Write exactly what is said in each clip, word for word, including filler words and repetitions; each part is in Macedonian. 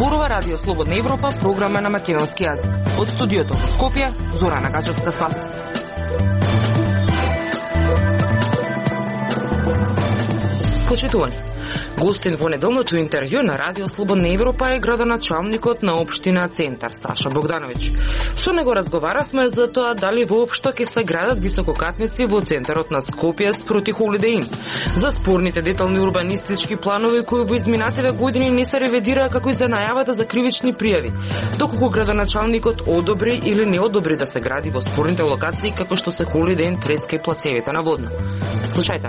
Зборува Радио Слободна Европа, програма на македонски јазик. Од студиото во Скопје, Зорана Гачевска-Спасовска. Почитувани, гостин во неделното интервју на Радио Слободна Европа е градоначалникот на општина Центар Саша Богдановиќ. Со него разговаравме за тоа дали воопшто ќе се градат висококатници во центарот на Скопје спроти Holiday Inn, за спорните детални урбанистички планови кои во изминативе години не се ревидираа, како и за најавата за кривични пријави, доколку градоначалникот одобри или не одобри да се гради во спорните локации како што се Holiday Inn, Треска и Плацевите на Водно. Слушајте.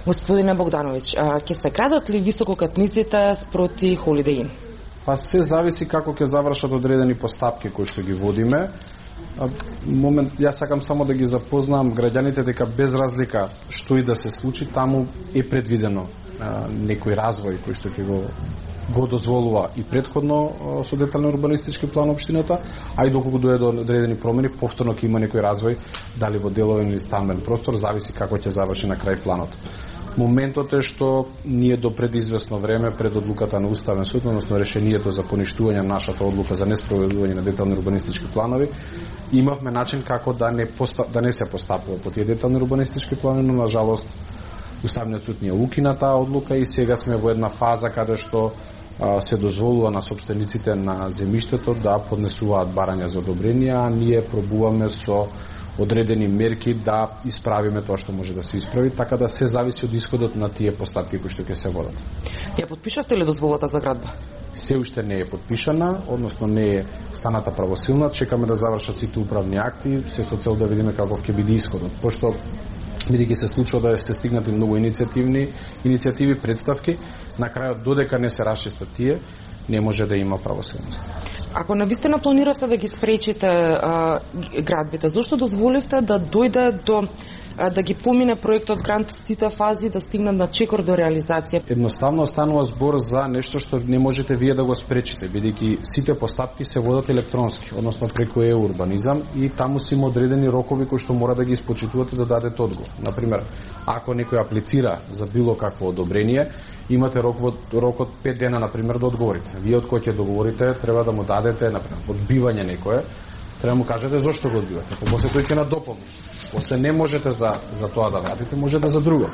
Господине Богдановиќ, ќе се градат ли висококатниците спроти Holiday Inn? Па се зависи како ќе завршат одредени постапки кои што ги водиме. Момент, јас сакам само да ги запознам граѓаните дека без разлика што и да се случи, таму е предвидено а, некој развој кој што ќе го го дозволува и предходно со детални урбанистички план општината, а и доколку дојде до одредени промени, повторно ќе има некој развој, дали во деловен или стамбен простор, зависи како ќе заврши на крај планот. Моментот е што ние до пред известно време, пред одлуката на Уставен суд, односно решението за поништување на нашата одлука за неспроведување на детални урбанистички планови, имавме начин како да не, поста, да не се постапува по тие детални урбанистички планови, но на жалост Уставниот суд ни укина таа одлука и сега сме во една фаза каде што а, се дозволува на сопствениците на земјиштето да поднесуваат барања за одобрение, а ние пробуваме со одредени мерки да исправиме тоа што може да се исправи, така да се зависи од исходот на тие постапки кои што ќе се водат. Ја подпишавте ли дозволата за градба? Се уште не е подпишана, односно не е станата правосилна, чекаме да завршат сите управни акти, се со цел да видиме каков ќе биде исходот, пошто бидејќи се случува да се стигнати многу иницијативни иницијативи, представки, на крајот додека не се расчистат тие, не може да има правосилност. Ако навистина планиравте да ги спречите а, градбите, зошто дозволивте да дојде до а, да ги помине проектот грант сите фази, да стигнат на чекор до реализација? Едноставно станува збор за нешто што не можете вие да го спречите, бидејќи сите постапки се водат електронски, односно преку е-урбанизам, и таму си има одредени рокови кои што мора да ги испочитувате да дадете одговор. Например, ако некој аплицира за било какво одобрение, имате рок, рок од пет дена, например, да одговорите. Вие од кој ќе договорите, треба да му дадете, например, одбивање некое, треба да му кажете зошто го одбивате. После тој ќе надополни. После не можете за, за тоа да вратите, може да за друго.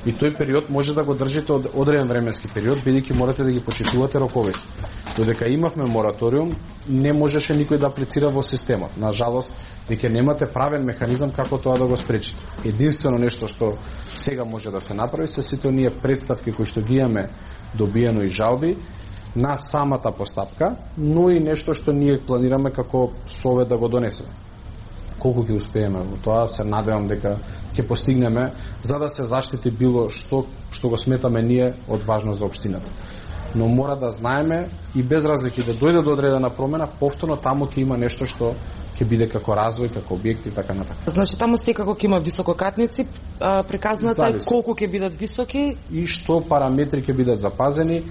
И тој период може да го држите од одреден временски период, бидејќи морате да ги почитувате роковите. Додека имавме мораториум, не можеше никој да аплицира во системот. На жалост, дека немате правен механизам како тоа да го спречите. Единствено нешто што сега може да се направи се сите оние представки кои што ги имаме добиено и жалби на самата постапка, но и нешто што ние планираме како совет да го донесеме. Колку ќе успееме во тоа, се надевам дека ќе постигнеме, за да се заштити било што што го сметаме ние од важност за општината. Но мора да знаеме и без разлики да дојде до одредена промена, повторно таму ќе има нешто што ќе биде како развој, како објекти и така натаму. Значи таму секако ќе има висококатници, приказната е колку ќе бидат високи и што параметри ќе бидат запазени,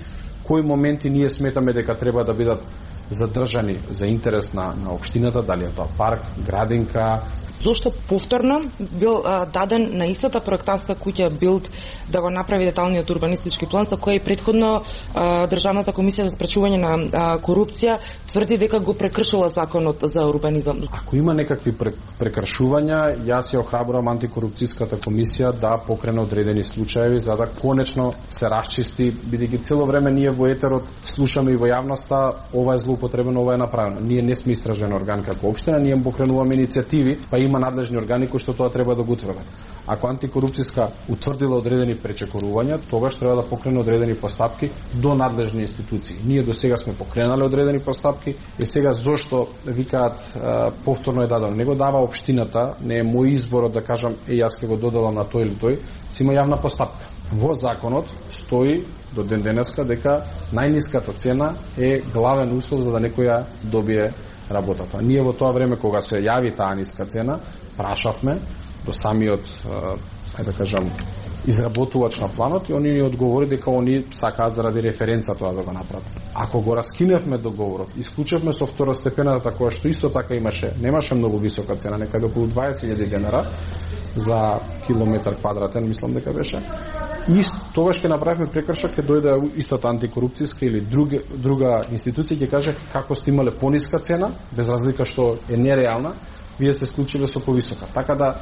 кои моменти ние сметаме дека треба да бидат задржани за интерес на, на општината, дали е тоа парк, градинка. Зошто повторно бил а, даден на истата проектантска куќа Билд да го направи деталниот урбанистички план, за кој предходно а, Државната комисија за спречување на а, корупција тврди дека го прекршила законот за урбанизам? Ако има некакви прекршувања, јас ја охрабрувам антикорупцијската комисија да покрене одредени случаи за да конечно се расчисти, бидејќи цело време ние во етерот слушаме и во јавноста ова е злоупотребено, ова е направено. Ние не сме истражен орган како општина, ние покренуваме иницијативи, па има надлежни органи кои што тоа треба да го утврдат. Ако антикорупцијска утврдила одредени пречекорувања, тогаш треба да покрене одредени постапки до надлежни институции. Ние до сега сме покренале одредени постапки и сега зошто викаат повторно е дадено? Не го дава општината, не е мој избор да кажам е јас ќе го додадам на тој или тој, си има јавна постапка. Во законот стои до ден денеска дека најниската цена е главен услов за да некој ја добие работата. Ние во тоа време кога се јави таа ниска цена, прашавме до самиот, ајде да кажам, изработувач на планот и они ни одговори дека они сакаат заради референца тоа да го направат. Ако го раскиневме договорот, исклучевме со второстепената која што исто така имаше, немаше многу висока цена, некаде околу дваесет илјади денара за километар квадратен, мислам дека беше. И тогаш ќе направиме прекршок, ќе дојде истата антикорупцијска или друга, друга институција ќе каже како сте имале пониска цена, без разлика што е нереална, вие сте склучиле со повисока. Така да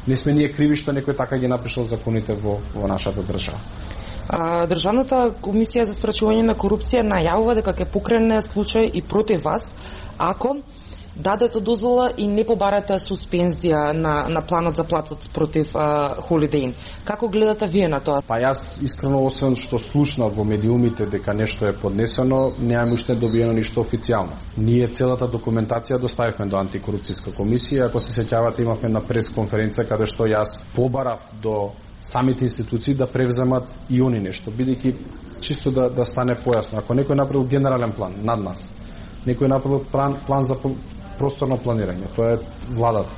не сме ние криви што некој така ги напишал законите во, во нашата држава. А, Државната комисија за спречување на корупција најавува дека ќе покрене случај и против вас ако дадете дозвола и не побарате суспензија на, на планот за платот против а, Holiday Inn. Како гледате вие на тоа? Па јас искрено, освен што слушнав во медиумите дека нешто е поднесено, немам уште добиено ништо официјално. Ние целата документација доставивме до антикорупцијска комисија. Ако се сеќавате, имавме на пресконференција каде што јас побарав до самите институции да превземат и они нешто, бидејќи чисто да, да стане појасно. Ако некој направил генерален план над нас, некој направил план, план за просторно планирање, тоа е владата.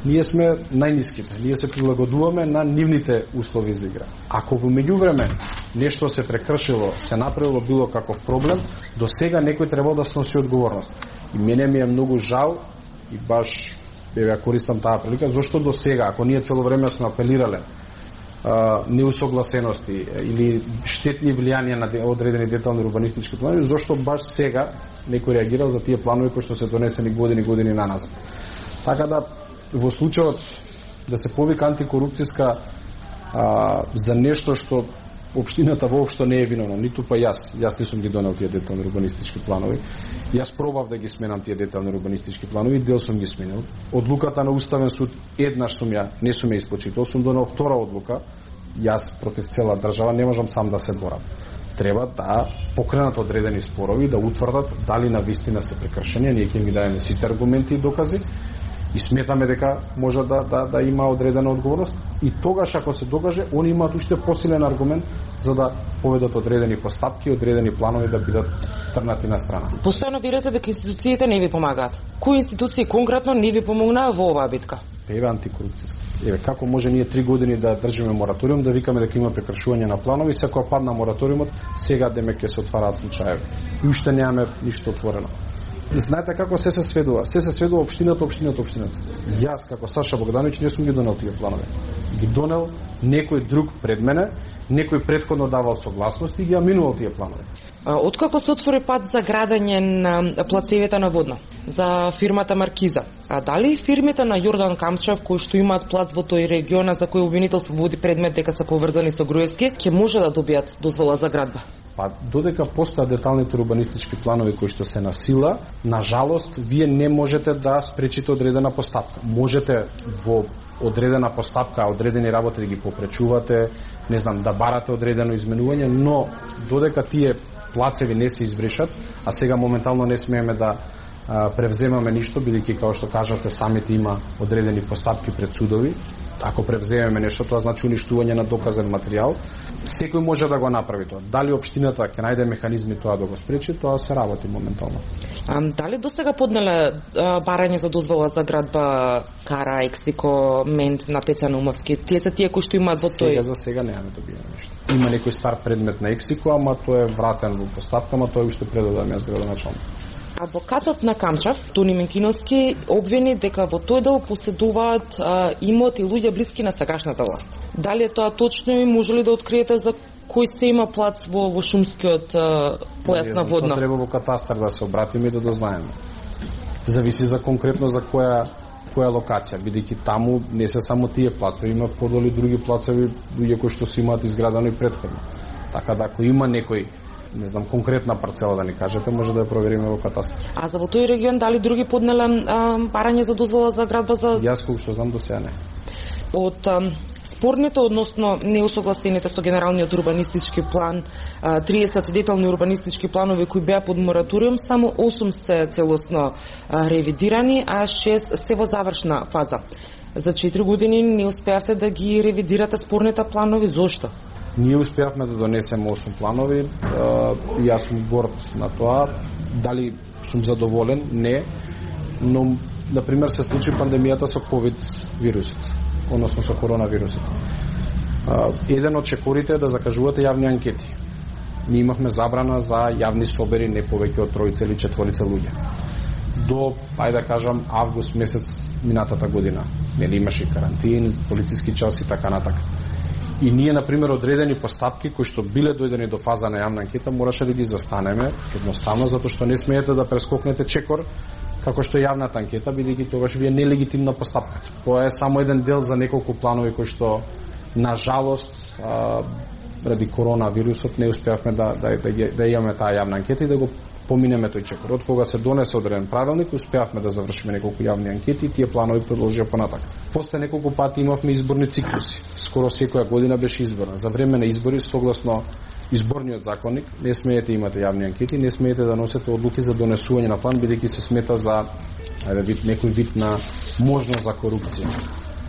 Ние сме најниските, ние се прилагодуваме на нивните услови за игра. Ако во меѓувреме нешто се прекршило, се направило било каков проблем, до сега некој требал да сноси одговорност. И мене ми е многу жал и баш ја користам таа прилика, зашто до сега, ако ние цело време сме апелирале неусогласености или штетни влијанија на одредени детални урбанистички планови, зашто баш сега некој реагирал за тие планови кои што се донесени години години наназад. Така да во случајот да се повика антикорупцијска а, за нешто што општината воопшто не е виновна, ниту па јас, јас не сум ги донел тие детални урбанистички планови. Јас пробав да ги сменам тие детални урбанистички планови, дел сум ги сменил. Одлуката на Уставен суд еднаш сум ја, не сум ја испочитал, сум донел втора одлука. Јас против цела држава не можам сам да се борам. Треба да покренат одредени спорови, да утврдат дали на вистина се прекршени, ние ќе ги дадеме сите аргументи и докази и сметаме дека може да, да, да има одредена одговорност и тогаш ако се докаже, они имаат уште посилен аргумент за да поведат одредени постапки, одредени планови да бидат трнати на страна. Постојано верите дека институциите не ви помагаат. Кои институции конкретно не ви помогнаа во оваа битка? Еве антикорупцијска. Еве како може ние три години да држиме мораториум, да викаме дека има прекршување на планови, секоја падна мораториумот, сега демек ќе се отвараат случаеви. И уште немаме ништо отворено. Знаете како се се сведува? Се се сведува општината, општината, општината. Јас како Саша Богдановиќ не сум ги донел тие планови. Ги донел некој друг пред мене, некој претходно давал согласност и ги аминувал тие планови. Откако се отвори пат за градење на плацевите на Водно за фирмата Маркиза, а дали фирмите на Јордан Камчев кои што имаат плац во тој регион за кој обвинителство води предмет дека се поврзани со Груевски, ќе може да добијат дозвола за градба? Па додека постојат деталните урбанистички планови кои што се на сила, на жалост вие не можете да спречите одредена постапка. Можете во одредена постапка, одредени работи да ги попречувате, не знам, да барате одредено изменување, но додека тие плацеви не се избришат, а сега моментално не смееме да а, превземаме ништо, бидејќи како што кажате самите има одредени постапки пред судови. Ако превземеме нешто, тоа значи уништување на доказен материјал. Секој може да го направи тоа. Дали општината ќе најде механизми тоа да го спречи, тоа се работи моментално. А, дали до сега поднеле а, барање за дозвола за градба Кара, Ексико, Мент на Пеца Наумовски? Тие се тие кои што имаат во тој... Сега за сега немаме добиено нешто. Има некој стар предмет на Ексико, ама тој е вратен во постапка, ама тој уште предадам јас градоначалник. Адвокатот на Камчев, Тони Менкиновски, обвини дека во тој дел поседуваат а, имот и луѓе блиски на сегашната власт. Дали е тоа точно и може ли да откриете за кој се има плац во, во шумскиот а, појас на Водно? Треба во катастар да се обратиме и да дознаеме. Зависи за конкретно за која која локација, бидејќи таму не се само тие плацеви, има подоли други плацеви, луѓе кои што се имаат изградено и претходно. Така да ако има некој, не знам, конкретна парцела да ни кажете, може да ја провериме во катастар. А за во тој регион дали други поднеле барање за дозвола за градба за... Јас кој што знам до сега не. Од а, спорните, односно неусогласените со генералниот урбанистички план, а, триесет детални урбанистички планови кои беа под мораториум, само осум се целосно а, ревидирани, а шест се во завршна фаза. За четири години не успеавте да ги ревидирате спорните планови, зошто? Ние успеавме да донесеме осум планови, и јас сум горд на тоа. Дали сум задоволен? Не. Но, например, се случи пандемијата со ковид вирусот, односно со коронавирусот. Еден од чекорите е да закажувате јавни анкети. Ние имавме забрана за јавни собери не повеќе од тројца или четворица луѓе. До, ајде да кажам, август месец минатата година. Нели имаше карантин, полициски час и така натака. И ние, например, одредени постапки кои што биле дојдени до фаза на јавна анкета, мораше да ги застанеме едноставно, затоа што не смеете да прескокнете чекор како што е јавната анкета, бидејќи тогаш ви е нелегитимна постапка. Тоа е само еден дел за неколку планови кои што, на жалост, а, ради коронавирусот не успеавме да, да, да, да имаме таа јавна анкета и да го поминеме тој чекор. Од кога се донесе одреден правилник, успеавме да завршиме неколку јавни анкети и тие планови продолжија понатака. После неколку пати имавме изборни циклуси. Скоро секоја година беше изборна. За време на избори, согласно изборниот законник, не смеете имате јавни анкети, не смеете да носите одлуки за донесување на план, бидејќи се смета за ајде вид некој вид на можност за корупција.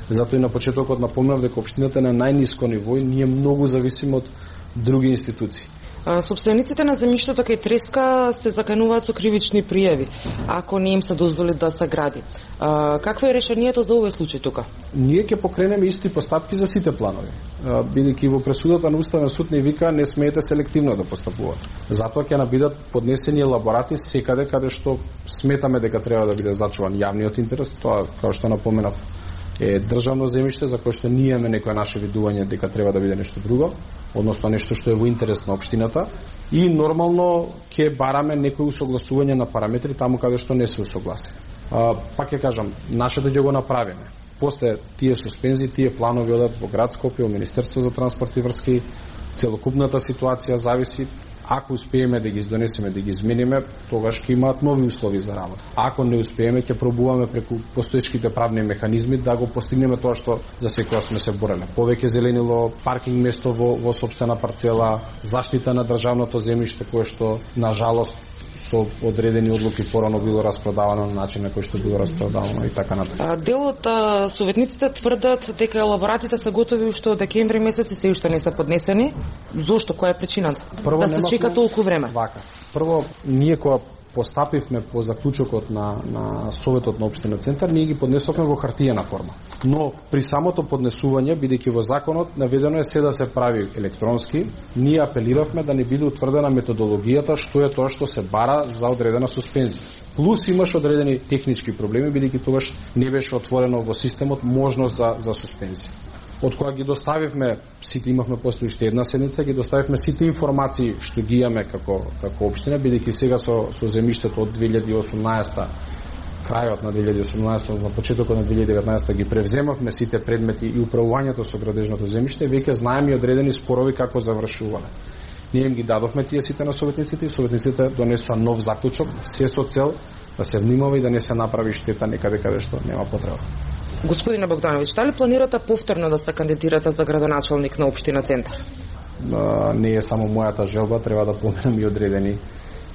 Затоа и на почетокот напомнав дека општината е на најниско ниво и ние многу зависиме од други институции. Собствениците на земјиштето кај Треска се закануваат со кривични пријави ако не им се дозволи да се гради. Какво е решението за овој случај тука? Ние ќе покренеме исти постапки за сите планови. Бидејќи во пресудата на Уставен суд не вика не смеете селективно да постапувате. Затоа ќе набидат поднесени елаборати секаде каде што сметаме дека треба да биде зачуван јавниот интерес. Тоа, како што напоменав, е државно земјиште за кое што ние имаме некој наше видување дека треба да биде нешто друго, односно нешто што е во интерес на општината, и нормално ќе бараме некои усогласување на параметри таму каде што не се усогласени. А, пак ќе кажам, нашето ќе го направиме. После тие суспензии, тие планови одат во град Скопје, во Министерство за транспорт и врски, целокупната ситуација зависи. Ако успееме да ги издонесеме, да ги измениме, тогаш ќе имаат нови услови за работа. Ако не успееме, ќе пробуваме преку постоечките правни механизми да го постигнеме тоа што за секоја сме се бореле. Повеќе зеленило, паркинг место во, во сопствена парцела, заштита на државното земјиште кое што на жалост со одредени одлуки порано било распродавано на начин на кој што било распродавано и така натаму. Дел од советниците тврдат дека елаборатите се готови уште од декември месец и се уште не се поднесени. Зошто? Која е причината? Прво, да се чека толку време. Вака. Прво, ние кога постапивме по заклучокот на, на Советот на Општина Центар, ние ги поднесовме во хартиена форма. Но при самото поднесување, бидејќи во законот наведено е се да се прави електронски, ние апелиравме да не биде утврдена методологијата што е тоа што се бара за одредена суспензија. Плюс имаш одредени технички проблеми, бидејќи тогаш не беше отворено во системот можност за, за суспензија. Од кога ги доставивме, сите имавме после уште една седница, ги доставивме сите информации што ги имаме како, како општина, бидејќи сега со, со земјиштето од две илјади и осумнаесета, крајот на две илјади и осумнаесета, на почетокот на две илјади и деветнаесета ги превземавме сите предмети и управувањето со градежното земјиште, веќе знаеме и одредени спорови како завршувале. Ние им ги дадовме тие сите на советниците и советниците донесоа нов заклучок, се со цел да се внимава и да не се направи штета некаде каде што нема потреба. Господине Богдановиќ, дали планирате повторно да се кандидирате за градоначалник на Општина Центар? А, не е само мојата желба, треба да поменам и одредени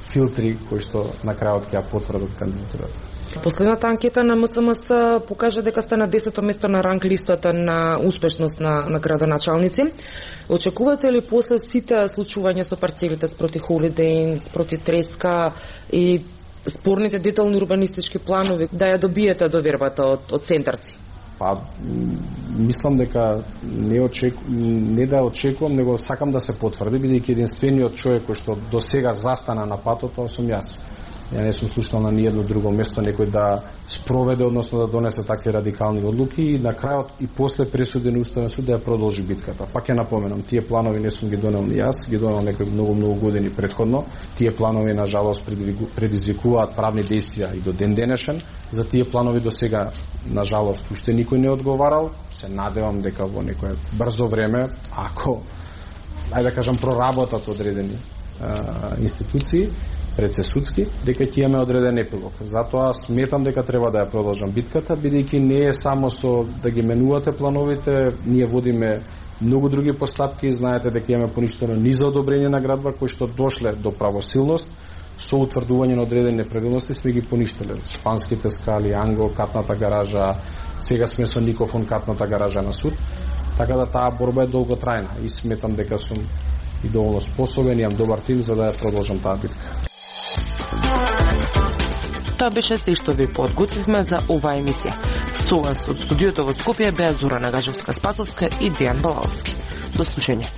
филтри кои што на крајот ќе ја потврдат кандидатурата. Последната анкета на М Ц М С покажа дека сте на десето место на ранг листата на успешност на, на градоначалници. Очекувате ли после сите случувања со парцелите спроти Холидеј, спроти Треска и спорните детални урбанистички планови да ја добиете довербата од, од центарци? Па, мислам дека не, очеку, не да очекувам, него сакам да се потврди, бидејќи единствениот човек кој што до сега застана на патот, тоа сум јас. Ја не сум слушнал на ниедно друго место некој да спроведе, односно да донесе такви радикални одлуки и на крајот и после пресуди на Уставен суд да ја продолжи битката. Пак ја напоменам, тие планови не сум ги донел ни јас, ги донел некои многу многу години претходно. Тие планови на жалост предизвикуваат правни действија и до ден денешен. За тие планови до сега на жалост уште никој не одговарал. Се надевам дека во некое брзо време, ако ајде да кажам проработат одредени а, институции предсесудски, дека ќе имаме одреден епилог. Затоа сметам дека треба да ја продолжам битката, бидејќи не е само со да ги менувате плановите, ние водиме многу други постапки, знаете дека имаме поништено низ за одобрение на градба кои што дошле до правосилност, со утврдување на одредени неправилности сме ги поништеле. Шпанските скали, Анго, катната гаража, сега сме со Никофон, катната гаража на суд, така да таа борба е долготрајна и сметам дека сум и доволно способен, имам добар тим за да ја продолжам таа битка. Тоа беше се што ви подготвивме за оваа емисија. Со вас од студиото во Скопје беа Зора Нагажевска-Спасовска и Дејан Балалски. До слушање.